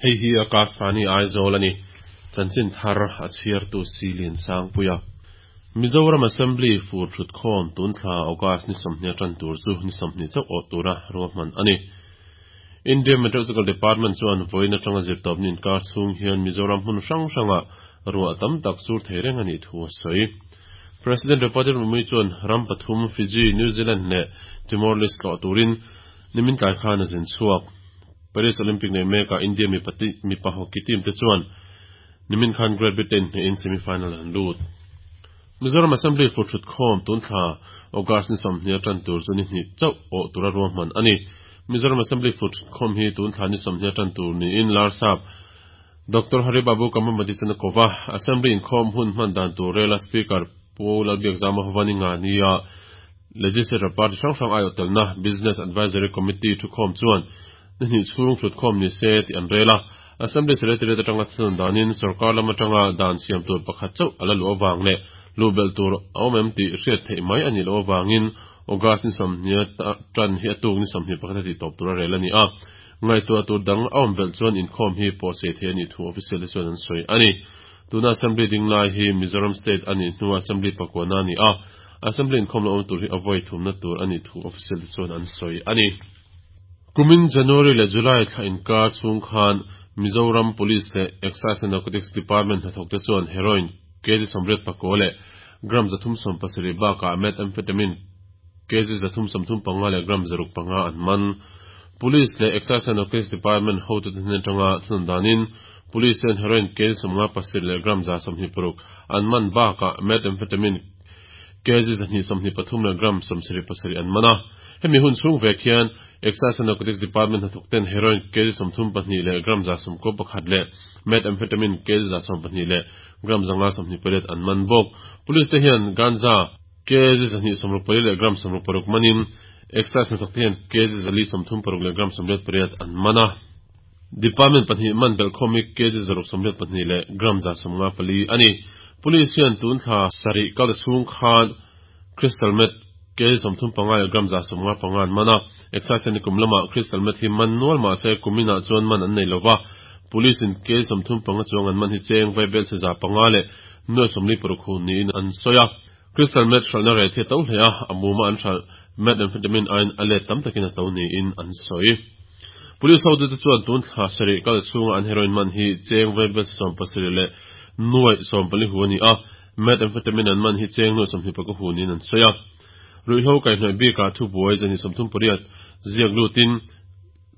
Hei hi Akashvani Aizawl a ni. Chanchin thar a chhiartu Silian Sangpuia. Mizoram Assembly fur thutkhawm tun thla August ni 20 tan tur chu ni 20 chauh awh tura ruahman a ni. India Meteorological Department chuan vawiin atanga zirtawpni inkar chhung hian Mizoram hmun hrang hrangah ruah tam tak sur thei reng a nih thu a sawi. President Draupadi Murmu chuan ram pathum Fiji, New Zealand leh Timor-Leste tlawh turin nimin tlai khan a zin chhuak. Paris Olympic nei mekah India mipa hockey team te chuan nimin khan Great Britain hnehin semi-final an lut. Mizoram Assembly fur thutkhawm tun thla August ni 20 atan tur chu ni hnih chauh awh tura ruahman a ni. Mizoram Assembly fur thutkhawm hi tun thla ni 20 atan tur niin Larsap Dr. Haribabu Kambhampati chuan a ko va. Assembly inkhawm hun hman dan tur rela Speaker Pu Lalbiakzama Hovani nga nia Legislature Party hrang hrang aiawh telna Business Advisory Committee thukhawm chuan ni hnih chhung thutkhawm ni se tih an rel a. Assembly Secretariat atanga thunun danin sorkar lam atanga dan siam tur pakhat chauh a la luh avang leh luh belh tur a awm em tih hriat theih mai a nih loh avangin August ni 20 tan hi a tuk ni 21 a tih tawp tur a rel a ni a. Ngaihtuah tur dang a awm belh chuan inkhawm hi pawh sei theih a nih thu official te chuan an sawi a ni. Tuna Assembly ding lai hi Mizoram State a nih hnua Assembly pakuana a ni a. Assembly inkhawm la awm tur hi a vawi thumna tur a nih thu official te chuan an sawi a ni. Kumin January leh July thla inkar chhung khan Mizoram Police leh Excise and Narcotics Department hnathawk te chuan heroin kg 84 leh gram 370 bakah methamphetamine kg 335 leh gram 605 an man. Police leh Excise and Narcotics Department hotute hnen atanga thunun danin Police chuan heroin kg 57 leh gram 126 an man bakah methamphetamine kg 223 leh gram 77 an man a. Hemi hun chhung vek hian Excise and Narcotics Department hnathawk ten heroin kg 32 leh gram 111 leh methamphetamine kg 112 leh gram 528 an man bawk. Police te hian ganja kg 264 leh gram 66 manin Excise hnathawk te hian kg 436 leh gram 88 an man a. Department pahnih man belhkhawm hi kg 682 leh gram 154 a ni. Police hian tun thla sarih kal chhung khan crystal meth kg 35 leh gram 155 an man a. Excise hian kum lamah crystal meth hi man nual mahse kuminah chuan man an nei lova. Police in kg 35 chuang an man hi cheng vaibel se 500 leh nuai 46 hu niin an sawi a. Crystal meth hralhna reh thi a to hle a, a muma an hralh methamphetamine aiin a let tam takin a to niin an sawi. Police hotute chuan tun thla sarih kal chhunga an heroin man hi cheng vaibel se 17 leh nuai 14 hu a ni a, methamphetamine an man hi cheng nuai 24 hu niin an sawi a. Ruihhlo kaihhnawih bikah thubuai 238 ziak lutin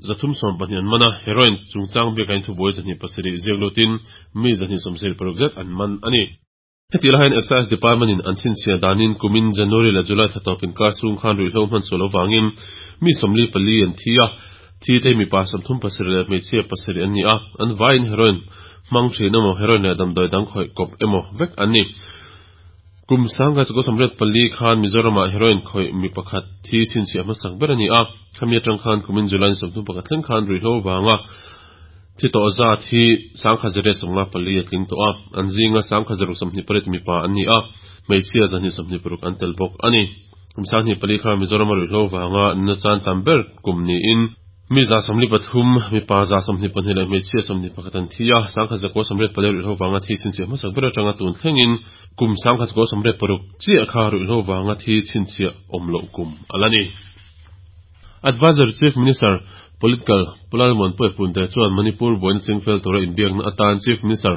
312 an man a, heroin chungchang bikah in thubuai 207 ziak lutin mi 276 zet an man a ni. Heti lahin Excise Department in an chhinchhiah danin kumin January leh July thla tawp inkar chhung khan ruihhlo hman sual avangin mi 44 an thi a, thi te hi mipa 37 leh hmeichhia 7 an ni a, an vaiin heroin hmang thin emaw heroin leh damdawi dang khawih kawp emaw vek an ni. Kum 1984 khan Mizoramah heroin khawih mi pakhat thi chhinchhiah hmasak ber a ni a, khami atang khan kumin July ni 31 thleng khan ruihhlo avanga thi tawh zat hi 1054 a tling tawh a, an zinga 1628 mipa an ni a, hmeichhia 226 an tel bawk a ni. Kum 2004 kha Mizoram a ruihhlo vanga nuna chan tam ber kum niin mi 143, mipa 122 leh hmeichhia 21 an thi a, 1984 ruihhlo vanga thi chhinchhiah hmasak ber atanga tun thlengin kum 1986 chiah kha ruihhlo vanga thi chhinchhiah awm loh kum a la ni. Advisor Chief Minister Political Pu Lalmuanpuia Punte chuan Manipur buaina chingfel tura inbiakna atan Chief Minister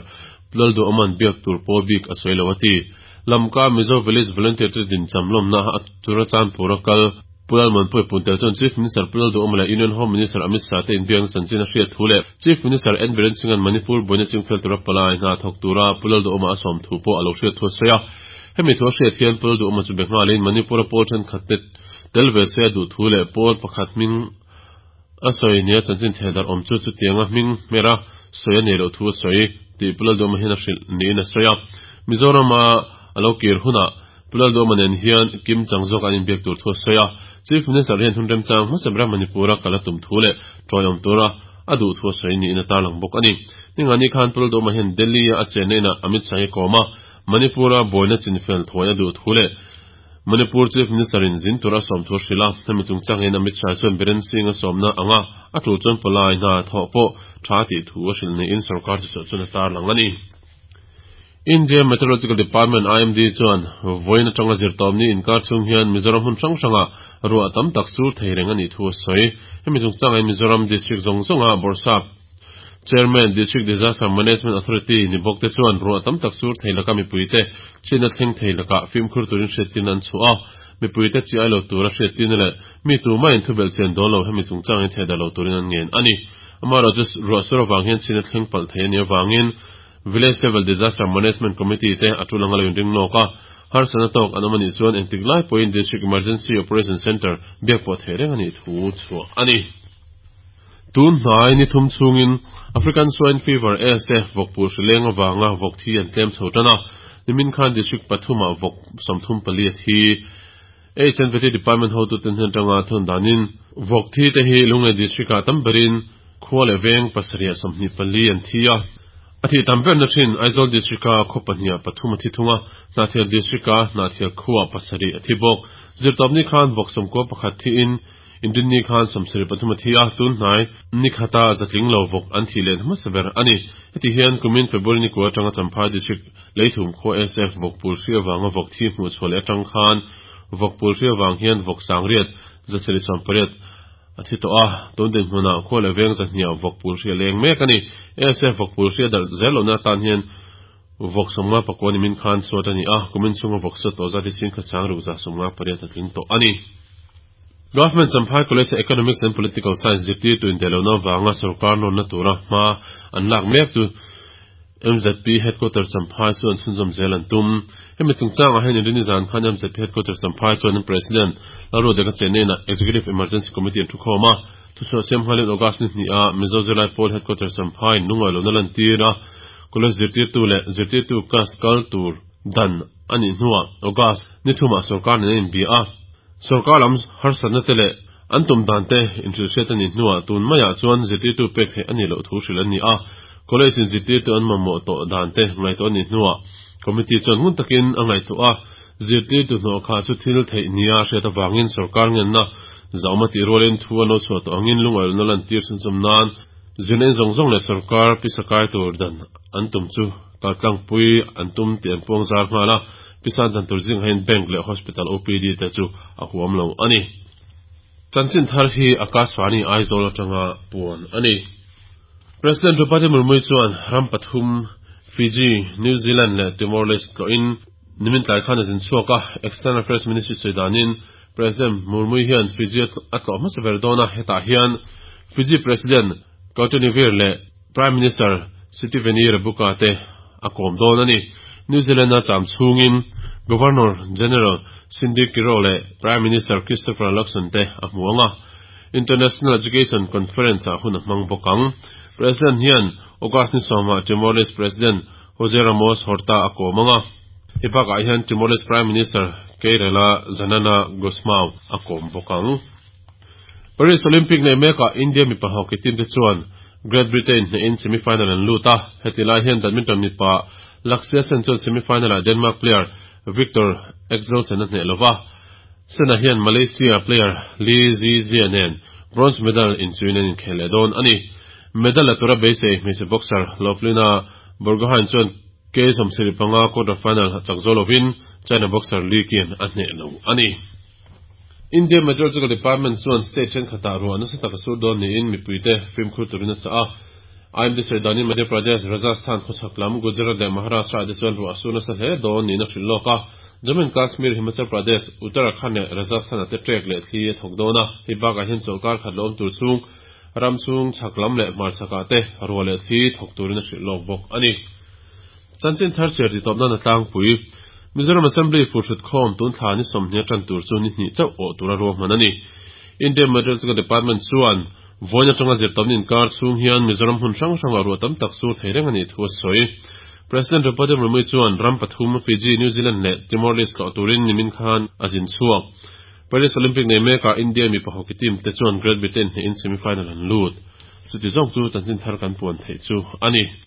Pu Lalduhawma'n biak tur pawl bik a sawi lo a ti. Lamka Mizo Village Volunteer te din cham lawmna a tura Chanpura kal Pu Lalmuanpuia Punte chuan Chief Minister Pu Lalduhawma leh Union Home Minister Amit Shah te inbiakna chanchin a hriat thu leh Chief Minister N Biren Singh-a'n Manipur buaina chingfel tura palai hna thawk tura Pu Lalduhawma a sawm thu pawh a lo hriat thu a sawi a. Hemi thu a hriat hian Pu Lalduhawma chu be nghalin Manipur-a pawl thenkhat te tel ve se a duh thu leh pawl pakhat hming a sawi nia chanchin theh darh awm chu chutianga hming hmera sawi a nei loh thu a sawi tih Pu Lalduhawma hian a hrilh niin a sawi a. Mizorama a lo kir hunah Pu Lalduhawma nen hian kim chang zawk an inbiak tur thu a sawi a. Chief Minister hian hun remchang hmasa bera Manipur-a kal a tum thu leh tawiawm tura a duh thu a sawi niin a tarlang bawk a ni. Ningani khan Pu Lalduhawma hian Delhi-a a chenna inah Amit Shah hi kawm a, Manipur-a buaina chinfel thuai a duh thu leh Manipur Chief Minister in zin tur a sawm thu a hrilh a, hemi chungchangin Amit Shah chuan Biren Singh a sawmna anga a tul chuan palai hna thawh pawh tha a tih thu a hrilh niin sorkar thuchhuah chuan a tarlang a ni. India Meteorological Department, IMD, chuan vawiin atanga zirtawpni inkar chhung hian Mizoram hmun hrang hrangah ruah tam tak sur thei reng a nih thu a sawi. Hemi chungchangin Mizoram District zawng zawnga Bawrhsap Chairman, District Disaster Management Authority ni bawk te chuan ruah tam tak sur thei laka mipuite chhiatna thleng thei lakah fimkhur turin hriattirna an chhuah a. Mipuite chi ai lo tura hriattirna leh mi tumah in thubelh chian dawn lo hemi chungchangin thehdarh lo turin an ngen a ni. Amaherawhchu ruah sur avang hian chhiatna thleng palh thei a nih avangin Village Level Disaster Management Committee te a tul anga lo inring nawk a, harsatna tawk an awm a nih chuan engtik lai pawhin District Emergency Operation Centre biak pawh theih reng a nih thu chhuah a ni. Tun hnai ni thum chhungin African Swine Fever, ASF, vawkpur hri leng avanga vawk thi an tlem chho tan a, nimin khan District pathumah vawk 34 a thi. HNVT Department hotuten hnen atanga thun danin vawk thi te hi Lunglei District-ah tam berin khua leh veng pasarih 24 an thi a. A thih tam berna thin Aizawl District-a khaw pahniha pathum a thi thung a, Hnahthial District-a Hnahthial khuaah pasarih a thi bawk. Zirtawpni khan vawk 91 thiin Inrinni khan 73 a thi a, tun hnai ni khata zatling lo vawk an thih leh hmasa ber a ni. Heti hian kumin February ni kua atanga Champhai District Leithum khua SF vawkpul hri avanga vawk thi hmuh chhuah leh atang khan vawkpul hri avang hian vawk sangriat 718 a thi tawh a, tun dinhmunah khua leh veng zahniah vawkpul hri a leng mek a ni. SF vawkpul hri a darh zel lohna atan hian vawk 59 nimin khan suat a ni a, kumin chhunga vawk suat tawh zat hi 1658 a tling tawh a ni. Government Champhai College a Economics and Political Science zirtirtu indaihlohna avanga sorkar nawnna tura hma an lak mek chu MZP Headquarters Champhai chu an chhunzawm zel an tum. Hemi chungchangah hian Inrini zan khan MZP Headquarters Champhai chuan an President Lalruadeka Chenena Executive Emergency Committee an thukhawm a. Thuchhuah siam nghalin August ni hnih ah Mizo Zirlai Pawl Headquarters Champhai lungngaihlohna lantir a College zirtirtu leh zirtirtu class kal tur dan a nih hnuah August ni thumah sorkar nen a inbia a. Sorkar lam harsatna te leh an tum dan te inhrilhhriat a nih hnuah tun maiah chuan zirtirtu pek theih a nih loh thu hrilh an ni a. College in zirtirtu an mamawh tawh dan te ngaihtuah a nih hnuah committee chuan ngun takin a ngaihtuah a, zirtirtu hnawh khah chu thil theih nia hriat avangin sorkar ngenna zahawm a tih rualin thu an lo chhuah tawh angin lungaihlohna lantir chhunzawm nan zirna in zawng zawng leh sorkar pisa kai tur dan an tum chu kaltlangpui an tum tih an puang zar nghal a. Pisa dan tur zingah hian Bank leh Hospital OPD te chu a huam lo a ni. Chanchin thar hi Akashvani Aizawl atanga puan a ni. President Draupadi Murmu chuan ram pathum Fiji, New Zealand leh Timor-Leste tlawhin nimin tlai khan a zin chhuak a. External Affairs Ministry sawi danin President Murmu hian Fiji a tlawh hmasa ber dawn a, hetah hian Fiji President Kautonivir leh Prime Minister Sitiveni Rabuka te a kawm dawn a ni. New Zealand-a cham chhungin Governor General Cindy Kiro leh Prime Minister Christopher Luxon te a hmu ang a, International Education Conference-ah hun a hmang bawk ang. President hian August ni sawmah Timor-Leste President Jose Ramos Horta a kawm ang a, hei bakah hian Timor-Leste Prime Minister Keirela Xanana Gusmao a kawm bawk ang. Paris Olympic nei mekah India mipa hockey team te chuan Great Britain hnehin semi-final an lut a, heti lai hian badminton mipa Lakshya Sen chuan semi-final ah Denmark player Viktor Axelsen a hneh lova, Sen-a hian Malaysia player Lee Zii Jia nen bronze medal inchuin an inkhel leh dawn a ni. Medal la tura beisei hmeichhe boxer Lovlina Borgohain chuan K 75 quarter final chak zo lovin China boxer Li Qian a hneh lo a ni. India Meteorological Department chuan state thenkhatah ruah nasa tak a sur dawn niin mipuite fimkhur turin a chah a. IMD sawi danin Madhya Pradesh, Rajasthan, khawchhak lam, Gujarat leh Maharashtra-ah te chuan ruah a sur nasa hle dawn niin a hrilh lawk a. Jammu and Kashmir, Himachal Pradesh, Uttarakhand leh Rajasthan-ah te trek leh thli a thawk dawn a. Hei bakah hian chawlhkar khat la awm tur chhung ram chhung chhak lam leh hmarchhakah te ruah leh thli thawk turin a hrilh lawk bawk a ni. Chanchin thar chhiar titawp nan a tlangpui. Mizoram Assembly furhrut khawm tun thla ni 20 a tan tur chu ni hnih chauh awh tura ruahman a ni. India Meteorological Department chuan vawiin atanga zirtawpni inkar chhung hian Mizoram hmun hrang hrangah ruah tam tak sur thei reng a nih thu a sawi. President Draupadi Murmu chuan ram pathum Fiji, New Zealand leh Timor-Leste tlawh turin nimin khan a zin chhuak. Paris Olympic nei mekah India mipa hockey team te chuan Great Britain hnehin semi-final an lut. Chuti zawng chu chanchin thar kan puan theih chu a ni.